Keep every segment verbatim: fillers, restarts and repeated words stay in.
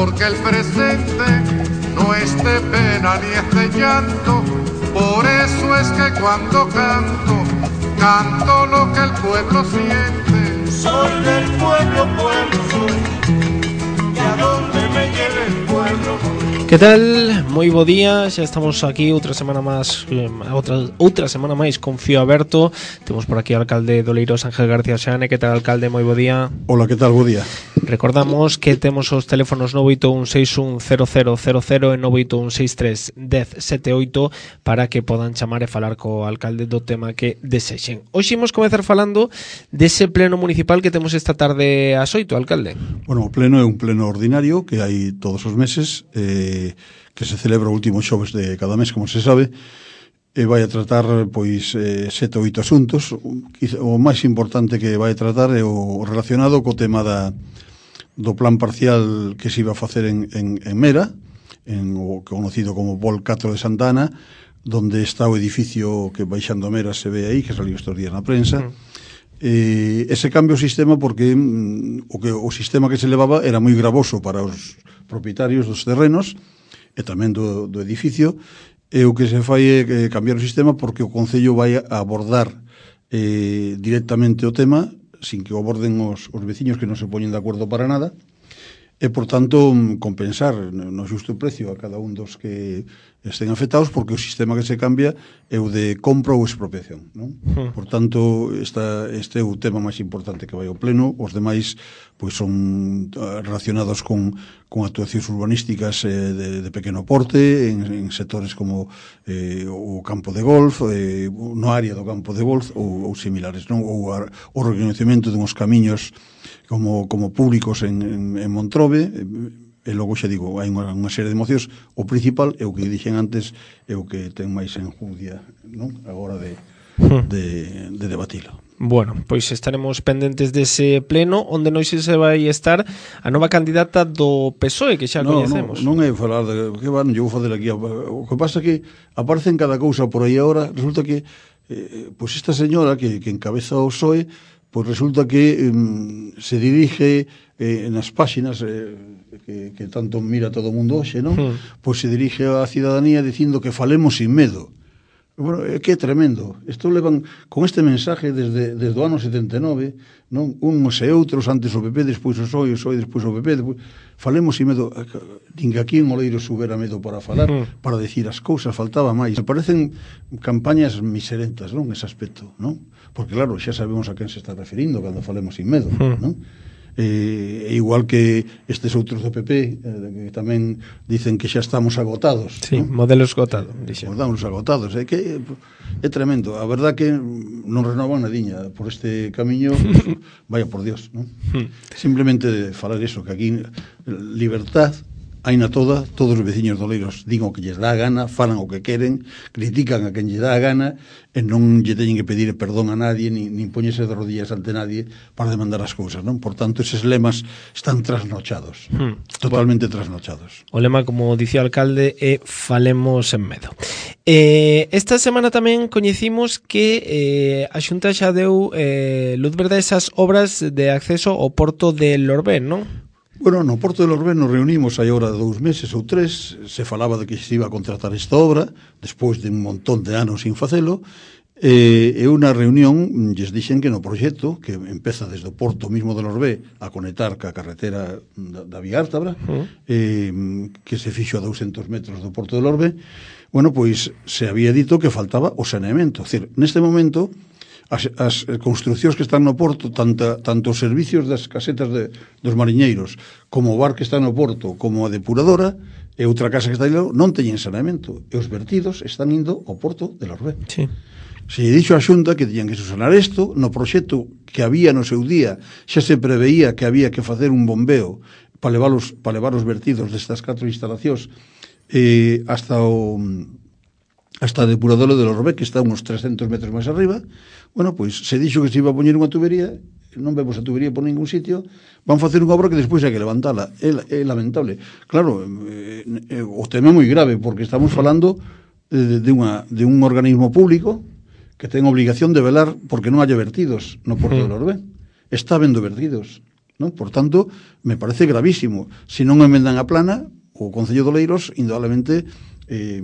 porque el presente no es de pena ni es de llanto. Por eso es que cuando canto, canto lo que el pueblo siente. Soy del pueblo, pueblo soy, y a donde me lleve el pueblo. Que tal? Moi bo día, xa estamos aquí outra semana máis, outra, outra semana máis con Fío Aberto. Temos por aquí o alcalde do Oleiros, Ángel García Xane. Que tal, alcalde? Moi bo día. Hola, que tal? Bo día. Recordamos que temos os teléfonos nove oito un seis un cero cero cero cero e nove oito un seis tres un cero sete oito para que podan chamar e falar co alcalde do tema que desexen. Hoxe imos comezar falando dese pleno municipal que temos esta tarde ás oito, alcalde. Bueno, o pleno é un pleno ordinario que hai todos os meses, eh, que se celebra o último xoves de cada mes, como se sabe, e vai a tratar pois eh, sete ou oito asuntos. O máis importante que vai a tratar é o relacionado co tema da, do plan parcial que se iba a facer en, en, en Mera, en o conocido como Vol catro de Santa Ana, donde está o edificio que baixando a Mera se ve aí, que saliu estes días na prensa. Uh-huh. Eh, ese cambio o sistema porque mm, o que o sistema que se levaba era moi gravoso para os propietarios dos terrenos e tamén do, do edificio, e o que se fai é eh, cambiar o sistema porque o Concello vai a abordar eh, directamente o tema sin que o aborden os, os veciños que non se poñen de acordo para nada, e por tanto compensar no xusto precio a cada un dos que estén afectados, porque o sistema que se cambia é o de compra ou expropiación, non? Uh-huh. Por tanto, esta, este é o tema máis importante que vai ao pleno. Os demais pois son relacionados con, con actuacións urbanísticas eh, de, de pequeno porte en, en sectores como eh, o campo de golf, eh, no área do campo de golf ou, ou similares, non? Ou a, o reconhecemento dunhos camiños como, como públicos en, en, en Montrobe. E logo xa digo, hai unha, unha serie de mocións. O principal é o que dixen antes, é o que ten máis enjundia, non? Agora de, de, de debatilo. Bueno, pois estaremos pendentes dese pleno, onde non se vai estar a nova candidata do P S O E, que xa no, coñecemos. Non, non é falar de que van, eu vou fazer aquí. O que pasa é que aparecen cada cousa por aí agora. Resulta que eh, pois esta señora que, que encabeza o P S O E, pois resulta que eh, se dirige eh, nas páxinas eh, que, que tanto mira todo o mundo hoxe, non? Hmm. Pois se dirige á cidadanía dicindo que falemos sin medo. Bueno, é que é tremendo. Isto levan con este mensaje desde, desde o ano setenta e nove, non? Uns e outros, antes o P P, despois o P S O E, o P S O E, despois o P P, despois... Falemos sin medo. Nin que aquí en Oleiros houbera medo para falar, hmm. para decir as cousas, faltaba máis. Me parecen campañas miserentas, non? Ese aspecto, non? Porque claro, xa sabemos a quen se está referindo cando falemos sin medo, hmm. non? Eh, igual que estes outros do P P eh, que tamén dicen que xa estamos agotados, sí, ¿no? Modelos agotados, modelos agotados, é que é tremendo, a verdad que non renovan nadiña por este camiño. Vaya por Dios, ¿no? Simplemente de falar eso, que aquí libertad hai na toda, todos os veciños do Oleiros din o que lles dá a gana, falan o que queren, critican a quen lle dá a gana, e non lle teñen que pedir perdón a nadie, nin, nin poñese de rodillas ante nadie para demandar as cousas, non? Por tanto, eses lemas están trasnochados, hmm. totalmente bueno, trasnochados. O lema, como dicía o alcalde, é falemos en medo. Eh, esta semana tamén coñecimos que eh, a Xunta xa deu eh, luz verde a esas obras de acceso ao porto de Lorbén, non? Bueno, no Porto de Lorbén nos reunimos hai ahora dous meses ou tres, se falaba de que se iba a contratar esta obra, despois de un montón de anos sin facelo, e, e unha reunión lles dixen que no proxecto, que empeza desde o Porto mismo de Lorbé a conectar ca carretera da, da Vía Ártabra, uh-huh. eh, que se fixo a douscentos metros do Porto de Lorbé, bueno, pois se había dito que faltaba o saneamento. É dicir, neste momento... As, as construcións que están no porto, tanta, tanto os servicios das casetas de, dos mariñeiros como o bar que está no porto, como a depuradora e outra casa que está aí non teñen saneamento, e os vertidos están indo ao porto de Lorbé. Sí. Se lle dixo a Xunta que teñan que susanar isto, no proxecto que había no seu día xa se preveía que había que facer un bombeo para levar os, para levar os vertidos destas catro instalacións eh, hasta o hasta a depuradora de Lorbé, que está uns trescentos metros máis arriba. Bueno, pois se dixo que se iba a poñer unha tubería, non vemos a tubería por ningún sitio, van facer unha obra que despois hai que levantala. É, é lamentable. Claro, eh, eh, o tema é moi grave, porque estamos falando de, de, unha, de un organismo público que ten obligación de velar porque non haya vertidos no Porto de Lorbé. Está habendo vertidos. non? Por tanto, me parece gravísimo. Se non emendan a plana, o Concello de Oleiros, indudablemente, eh,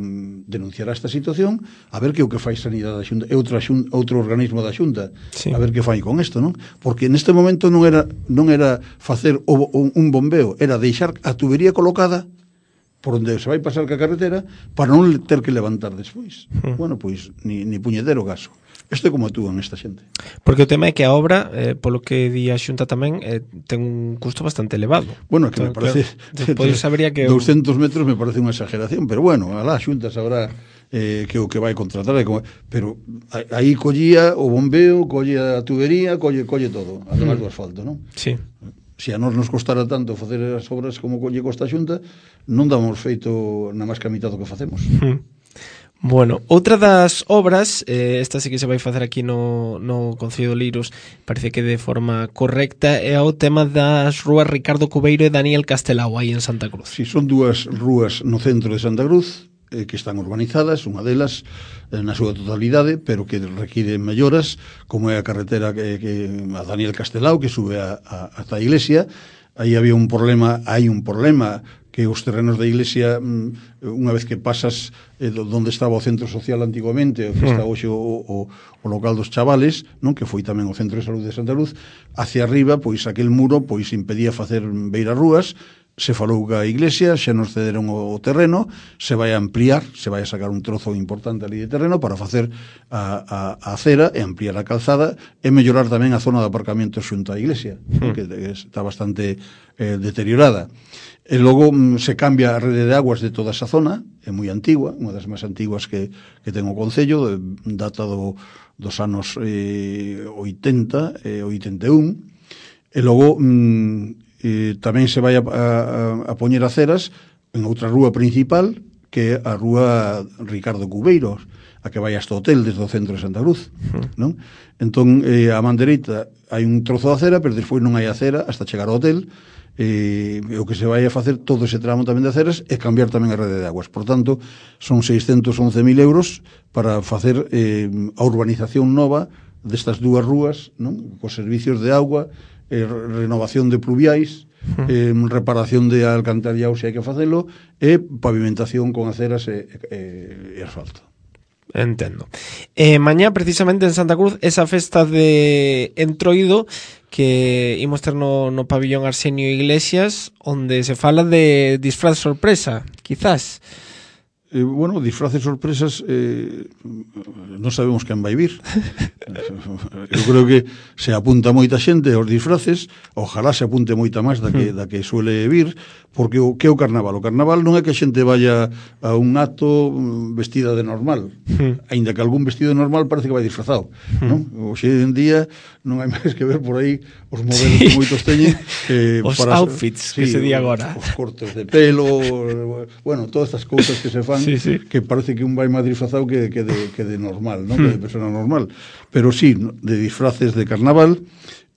denunciará esta situación, a ver que o que fai Sanidade da Xunta, e outro, xunta, outro organismo da Xunta, sí. A ver que fai con isto, non? Porque neste momento non era non era facer o, o, un bombeo, era deixar a tubería colocada por onde se vai pasar ca carretera para non ter que levantar despois. Mm. Bueno, pois, ni, ni puñetero gaso. Isto é como actúan esta xente. Porque o tema é que a obra, eh, polo que di a Xunta tamén, eh, ten un custo bastante elevado. Bueno, que entón, me parece... Claro, despois sabería que... doscientos metros me parece unha exageración, pero bueno, alá a Xunta sabrá eh, que o que vai contratar, como, pero aí collía o bombeo, collía a tubería, colle, colle todo, además mm. do asfalto, non? Sí. Se a nós nos costara tanto facer as obras como colle costa a Xunta, non damos feito na máis que a mitad do que facemos. Mm. Bueno, outra das obras, eh, esta sí que se vai facer aquí no, no Concello de Oleiros, parece que de forma correcta, é o tema das rúas Ricardo Cubeiro e Daniel Castelao, aí en Santa Cruz. Si, son dúas rúas no centro de Santa Cruz, eh, que están urbanizadas, unha delas eh, na súa totalidade, pero que require melloras, como é a carretera que, que a Daniel Castelao, que sube a, a, ata a iglesia. Aí había un problema, hai un problema, que os terrenos da iglesia, unha vez que pasas eh, donde estaba o centro social antiguamente, o que está hoxe o, o, o local dos chavales, non, que foi tamén o centro de saúde de Santa Cruz, hacia arriba, pois aquel muro pois impedía facer beirarrúas. Se falou que a iglesia, xa nos cederon o terreno, se vai a ampliar, se vai a sacar un trozo importante ali de terreno para facer a, a, a acera e ampliar a calzada e mellorar tamén a zona de aparcamento xunto á iglesia, mm. que está bastante eh, deteriorada. E logo mm, se cambia a rede de aguas de toda esa zona, é moi antigua, unha das máis antiguas que, que ten o Concello, de, data do, dos anos eh, oitenta e oitenta e un, e logo mm, e tamén se vai a, a, a poñer aceras en outra rúa principal, que é a rúa Ricardo Cubeiro, a que vai hasta o hotel desde o centro de Santa Cruz, uh-huh. non? Entón, eh, a man dereita hai un trozo de acera, pero despois non hai acera hasta chegar ao hotel, e eh, o que se vai a facer todo ese tramo tamén de aceras é cambiar tamén a rede de aguas. Por tanto, son seiscentos once mil euros para facer eh, a urbanización nova destas dúas rúas, non? Cos servicios de agua, eh, renovación de pluviais, eh, reparación de alcantarillados se hai que facelo, e pavimentación con aceras e, e, e asfalto. Entendo. Eh, mañá, precisamente en Santa Cruz, esa festa de Entroido que imos ter no, no pabillón Arsenio Iglesias, onde se fala de disfraz sorpresa, quizás. Eh, bueno, disfraces sorpresas, eh, non sabemos quen vai vir. Eu creo que se apunta moita xente aos disfraces, ojalá se apunte moita máis da que, da que suele vir, porque o que é o carnaval? O carnaval non é que a xente vaya a un acto vestida de normal, mm. aínda que algún vestido de normal parece que vai disfrazado, mm. non? Hoxe en día non hai máis que ver por aí os modelos sí. que moitos teñen, eh, os para, outfits sí, que se di agora, os, os cortes de pelo, bueno, todas estas cousas que se fan, sí, sí. que parece que un vai máis disfrazado que, que, de, que de normal, non? Mm. Que de persona normal, pero sí, de disfraces de carnaval,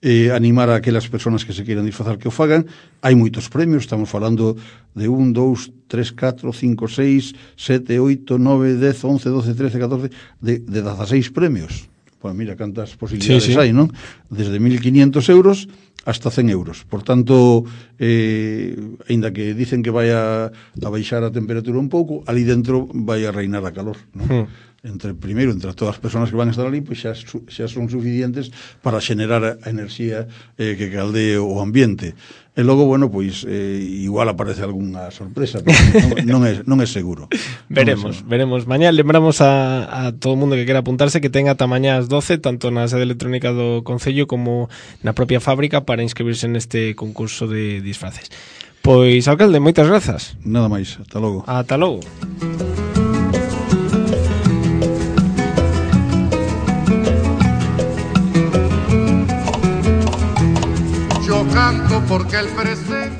eh, animar a aquelas persoas que se queiran disfrazar que o fagan. Hai moitos premios, estamos falando de un, dous, tres, catro, cinco, seis, sete, oito, nove, dez, once, doce, trece, catorce, de, de dezaseis premios. Pues mira cantas posibilidades sí, sí. hai, non? Desde mil quinientos euros hasta cen euros. Por tanto, eh, ainda que dicen que vai a, a baixar a temperatura un pouco, ali dentro vai a reinar a calor, non? Mm. Entre primeiro, entre todas as persoas que van a estar ali, pois xa, xa son suficientes para xenerar a enerxía eh, que caldee o ambiente. E logo, bueno, pois eh, igual aparece algunha sorpresa, pero non, non, é, non é seguro. Veremos, non é seguro. veremos. Mañá lembramos a, a todo o mundo que quera apuntarse que ten ata mañá ás doce, tanto na sede electrónica do Concello como na propia fábrica, para inscribirse neste concurso de disfraces. Pois, alcalde, moitas grazas. Nada máis, ata logo. Ata logo. Yo canto porque el presente